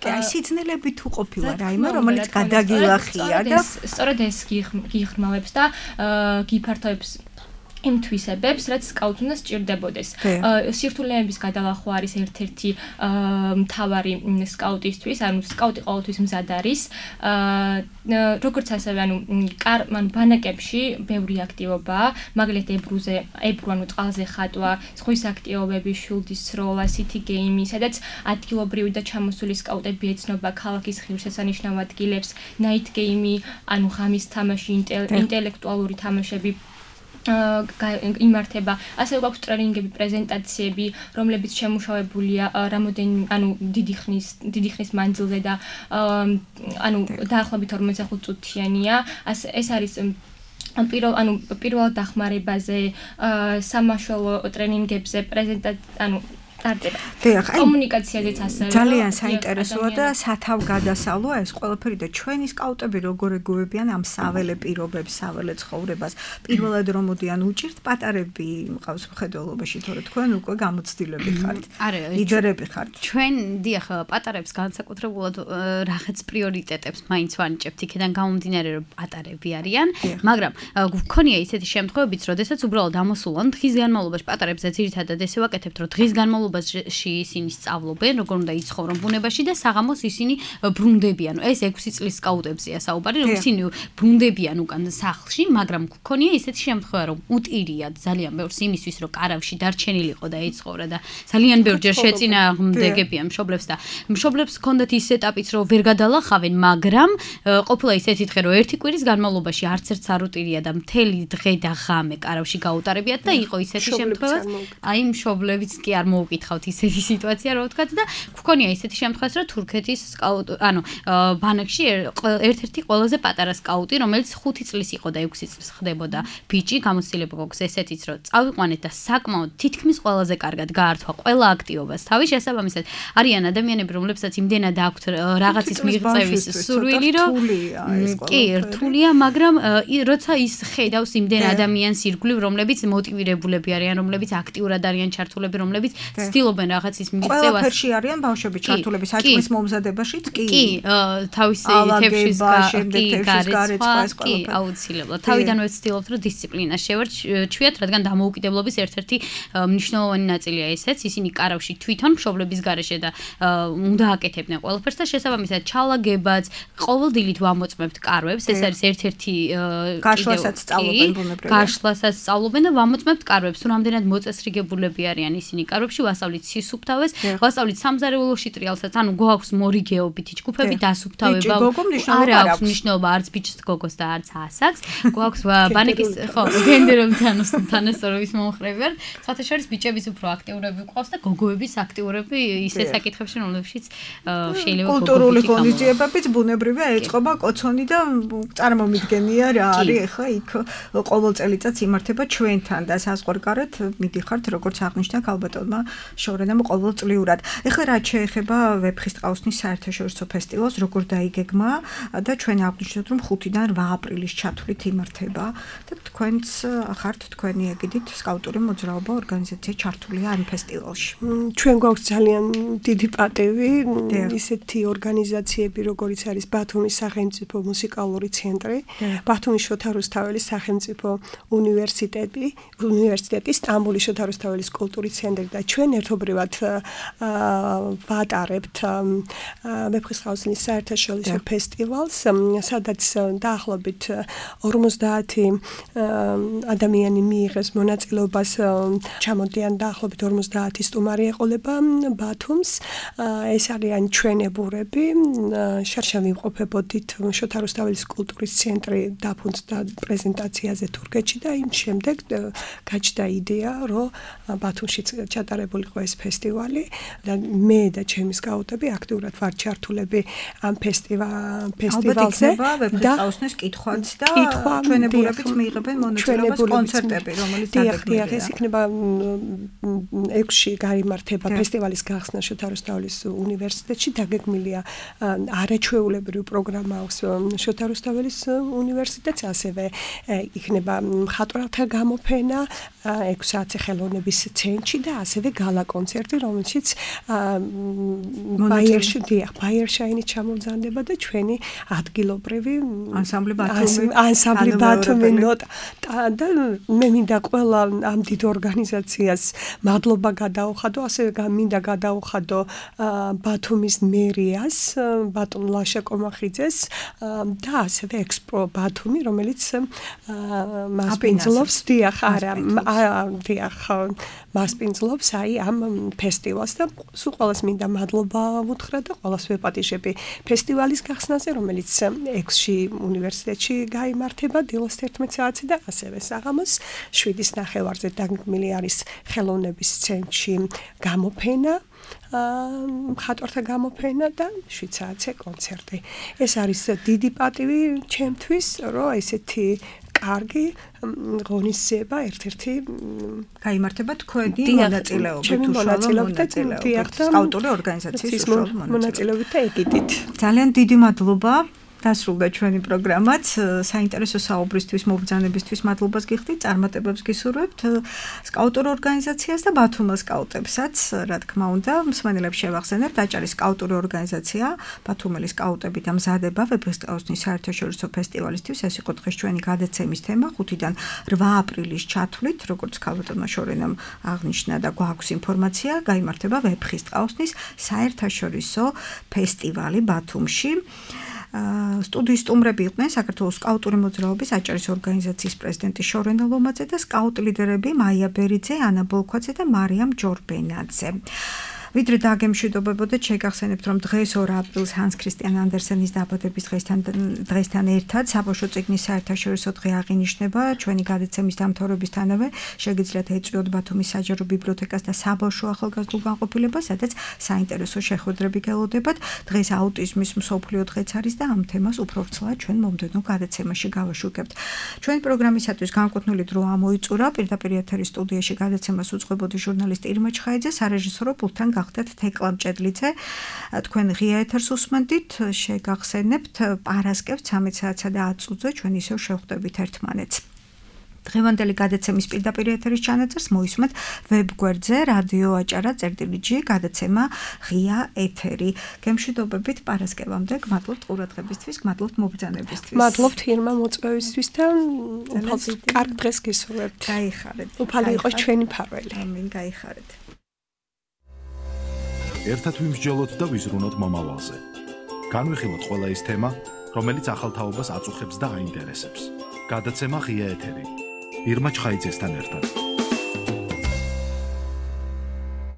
აი სიძნელები თუ ყოფილა რაიმე, რომელიც გადაგილახია და სწორედ ეს გიღრმავებს და გიფართოებს იმ თვისებებს, რაც სკაუტს უნდა სჭირდებოდეს. სირთულეების გადალახვა არის ერთ-ერთი მთავარი სკაუტისთვის, სკაუტი ყოველთვის მზად არის. როგორც ასევე ბანაკებში ბევრი აქტივობაა, მაგალითად ებრუ წყალზე ხატვა, ზღვის აქტივობები, შულდის სროლა, city game, სადაც ადგილობრივი და ჩამოსული სკაუტები ეცნობა ქალაქის ღირსშესანიშნავ ადგილებს, night game, ღამის თამაში, ინტელექტუალური თამაშები იმართება. ასევე გვაქვს ტრენინგები, პრეზენტაციები, რომლებიც შემუშავებულია დიდი ხნის მანძილზე და დაახლოებით 45 წუთიანია. ეს არის პირველ დახმარებაზე, სამაშველო ტრენინგებზე, კომუნიკაციაზეც ასევე ძალიან საინტერესოა და სათავგადასავლოა ეს ყველაფერი და ჩვენი სკაუტები როგორ ეგუებიან ამ საველე პირობებს, საველე ცხოვრებას. პირველად რომ მოდიან უჭირთ პატარები მყავს მხედველობაში, თორე თქვენ უკვე გამოცდილები ხართ. ლიდერები ხართ. ჩვენ დიახ, პატარებს განსაკუთრებულად რაღაც პრიორიტეტებს მაინც ვანიჭებთ, იქიდან გამომდინარე რომ პატარები არიან, მაგრამ გქონია ისეთი შემთხვევებიც, როდესაც უბრალოდ ამოსულან დღის განმავლობაში პატარებზე ძირითადად ესე ვაკეთებთ, რომ დღის განმავლობაში ისინი სწავლობენ, როგორ უნდა იცხოვრონ ბუნებაში და საღამოს ისინი ბრუნდებიან. ეს 6 წლის სკაუტებზეა საუბარი, რომ ისინი ბრუნდებიან უკან სახლში, მაგრამ გქონია ისეთი შემთხვევა, რომ უტირიათ ძალიან ბევრს იმისთვის, რომ კარავში დარჩენილიყო და ეცხოვრა და ძალიან ბევრჯერ შეწინააღმდეგებიან მშობლებს და მშობლებს ჰქონდათ ის ეტაპიც, რომ ვერ გადალახავენ, მაგრამ ყოფილა ისეთი დღე, რომ ერთი კვირის განმავლობაში არც ერთს არ უტირია და მთელი დღე და ღამე კარავში გაუტარებიათ და იყო ისეთი შემთხვევა, აი მშობლებიც კი არ მოვკითხავთ ისეთი სიტუაცია, რო ვთქვათ და გქონია ისეთი შემთხვევაც, რომ თურქეთის ბანაკში ერთ-ერთი ყველაზე პატარა სკაუტი, რომელიც 5 წლის იყო და 6 წლის ხდებოდა ბიჭი, გამოცდილება გვაქვს ესეთიც, რომ წავიყვანეთ და საკმაოდ თითქმის ყველაზე კარგად გაართვა ყველა აქტივობას. თავის შესაბამისად, არიან ადამიანები, რომლებსაც იმდენად აქვთ რაღაცის მიღწევის სურვილი, რომ კი, რთულია, მაგრამ როცა ის ხედავს იმდენ ადამიანს ირგვლივ, რომლებიც მოტივირებულები არიან, რომლებიც აქტიურად არიან ჩართულები, რომლებიც ცდილობენ რაღაცის მიღწევას. ყველაფერში არიან ბავშვები ჩართულები, საჭმლის მომზადებაშიც კი. კი, თავისი თევზის გარეცვა, კი, აუცილებლად. თავიდანვე ვცდილობთ, რომ დისციპლინა შევარჩიოთ, რადგან დამოუკიდებლობის ერთ-ერთი მნიშვნელოვანი ნაწილია ესეც, ისინი კარავში თვითონ მშობლების გარეშე და უნდა აკეთებდნენ ყველაფერს და შესაბამისად ჩალაგებაც, ყოველდილით ვამოწმებთ კარვებს, ეს არის ერთ-ერთი გაშლასაც სწავლობენ ბუნებრივია. გაშლასაც სწავლობენ და ვამოწმებთ კარვებს, თუ რამდენად მოწესრიგებულები არიან ისინი კარვებში, ვასწავლით სისუფთავეს, ვასწავლით სამზარეულოში ტრიალსაც, გვაქვს მორიგეობითი ჯგუფები, დასუფთავება. არა აქვს მნიშვნელობა არც ბიჭს გოგოს და არც ასაკს. გვაქვს ბანაკის, გენდერული თანასწორობის მომხრეები ვართ. სხვათა შორის ბიჭების უფრო აქტიურები გვყავს და გოგოების აქტიურები ისეთ საკითხებში, რომლებშიც შეიძლება კულტურული ღონისძიებებიც ბუნებრივია ეწყობა კოცონი და წარმომიდგენია რა არის ახლა იქ ყოველ წელიწადს იმართება ჩვენთან და საზღვარგარეთ მიდიხართ როგორც აღნიშნა ქალბატონმა შორენამ ყოველწლიურად. ეხლა რაც შეეხება ვეფხისტყაოსნის საერთაშორისო ფესტივალს, როგორ დაიგეგმა და ჩვენ აღნიშნეთ, რომ 5-დან 8 აპრილის ჩათვლით იმართება და თქვენც ხართ თქვენი ეგიდით სკაუტური მოძრაობა ორგანიზაცია ჩართულია ამ ფესტივალში. ჩვენ გვაქვს ძალიან დიდი პატივი ისეთი ორგანიზაციები, როგორიც არის ბათუმის სახელმწიფო მუსიკალური ცენტრი, ბათუმის შოთა რუსთაველის სახელმწიფო უნივერსიტეტი, სტამბოლის შოთა რუსთაველის კულტურის ცენტრი და ჩვენ ერთობრივად ვატარებთ ვეფხისტყაოსნის საერთაშორისო ფესტივალს, სადაც დაახლოებით 50 ადამიანი მიიღეს მონაწილეობას, ჩამოდიან დაახლოებით 50 სტუმარი ეყოლება ბათუმს. ეს არიან ჩვენებურები, შარშან ვიმყოფებოდით შოთა რუსთაველის კულტურის ცენტრი დაფუძნდა პრეზენტაციაზე თურქეთში და იმ შემდეგ გაჩნდა იდეა, რომ ბათუმში ჩატარებული იყო ეს ფესტივალი და მე და ჩემი სკაუტები აქტიურად ვართ ჩართულები ამ ფესტივალზე და ყაოსნის კითხვაც და ჩვენებურებით მიიღებენ მონაწილეობას კონცერტები, რომელიც დაგეგმილია. ეს იქნება 6-ში გამართება ფესტივალის გახსნა შოთა რუსთაველის უნივერსიტეტში, დაგეგმილია არაჩვეულებრივი პროგრამა აქვს შოთა რუსთაველის უნივერსიტეტს, ასევე იქნება მხატვრთა გამოფენა 6 საათზე ხელოვნების ცენტრში და ასევე გალა კონცერტი, რომელშიც ბაიერშაინი ჩამოვზანდება და ჩვენი ადგილობრივი ანსამბლი ბათუმი ნოტა და მე მინდა ყველა ამ დიდ ორგანიზაციას მადლობა გადაუხადო, ასევე მინდა გადაუხადო ბათუმის მერიას, ბატონ ლაშა კომახიძეს და ასევე ექსპრო ბათუმი, რომელიც მასპინძლობს მასპინძლობს ამ ფესტივალს და სულ ყველას მინდა მადლობა ვუთხრა და ყველას ვეპატიჟები ფესტივალის გახსნაზე, რომელიც 6-ში უნივერსიტეტში გაიმართება დილოს 11 საათზე და ასევე საღამოს 7:30-ზე დაგეგმილი არის ხელოვნების ცენტრში გამოფენა, მხატვართა გამოფენა და 7 საათზე კონცერტი. ეს არის დიდი პატივი ჩემთვის, რომ ესეთი კარგი ღონისძიება ერთ-ერთი გაიმართება თქვენი მონაწილეობით სკაუტური ორგანიზაციის მონაწილეობით და ეგიდით. ძალიან დიდი მადლობა. დასრულდა ჩვენი პროგრამაც. საინტერესო საუბრისთვის, მობრძანებისთვის მადლობას გიხდით, წარმატებებს გისურვებთ სკაუტურ ორგანიზაციას და ბათუმის სკაუტებსაც, რა თქმა უნდა, მსმენელებს შევახსენებთ, აჭარის სკაუტური ორგანიზაცია, ბათუმელი სკაუტები და მზადება ვეფხისტყაოსნის საერთაშორისო ფესტივალისთვის. ეს იყო დღეს ჩვენი გადაცემის თემა 5-დან 8 აპრილის ჩათვლით, როგორც ქალბატონმა შორენამ აღნიშნა და გვაქვს ინფორმაცია, გაიმართება ვეფხისტყაოსნის საერთაშორისო ფესტივალი ბათუმში. სტუდიის სტუმრები იყვნენ საქართველოს სკაუტური მოძრაობის აჭარის ორგანიზაციის პრეზიდენტი შორენა ლომაძე და სკაუტ ლიდერები მაია ბერიძე, ანა ბოლქვაძე და მარიამ ჯორბენაძე. ვიდრე დაგემშვიდობებოდეთ, შეგახსენებთ, რომ დღეს 2 აპრილს ჰანს ქრისტიან ანდერსენის დაბადების დღესთან ერთად საბავშვო წიგნის საერთაშორისო დღე აღინიშნება. ჩვენი გადაცემის დამთავრებისთანავე შეგიძლიათ ეწვიოთ ბათუმის საჯარო ბიბლიოთეკას და საბავშვო ახალგაზრდულ განყოფილებას, სადაც საინტერესო შეხვედრები გელოდებათ. დღეს აუტიზმის მსოფლიო დღეც არის და ამ თემას უფრო ვრცლად ჩვენ მომდევნო გადაცემაში გავაშუქებთ. ჩვენი პროგრამისათვის განკუთვნილი დრო ამოიწურა. პირდაპირ ეთერის სტუდიაში გადაცემას უძღვებოდი ჟურნალისტი ირმა ჩხაიძე, სარეჟისორო პულტთან გახდათ თეკლა მჭედლიძე. თქვენ ღია ეთერს უსმენდით, შეგახსენებთ პარასკევს 13 საათსა და 10 წუთზე ჩვენ ისევ შევხვდებით ერთმანეთს. დღევანდელი გადაცემის პირდაპირ ეთერის ჩანაწერს მოისმენთ ვებგვერდზე რადიო აჭარა წერტილი გადაცემა ღია ეთერი. გემშვიდობებით პარასკევამდე, გმადლობთ ყურადღებისთვის, გმადლობთ მობრძანებისთვის. მადლობთ ირმა მოწვევისთვის და კარგ დღეს გისურვებთ. გაიხარეთ. უფალი იყოს ჩვენი ფარველი. ამინ, გაიხარეთ. ერთად ვიმსჯელოთ და ვიზრუნოთ მომავალზე. განვიხილოთ ყველა ის თემა, რომელიც ახალთაობას აწუხებს და აინტერესებს. გადაცემა ღია ეთერი. ირმა ჩხაიძესთან ერთად.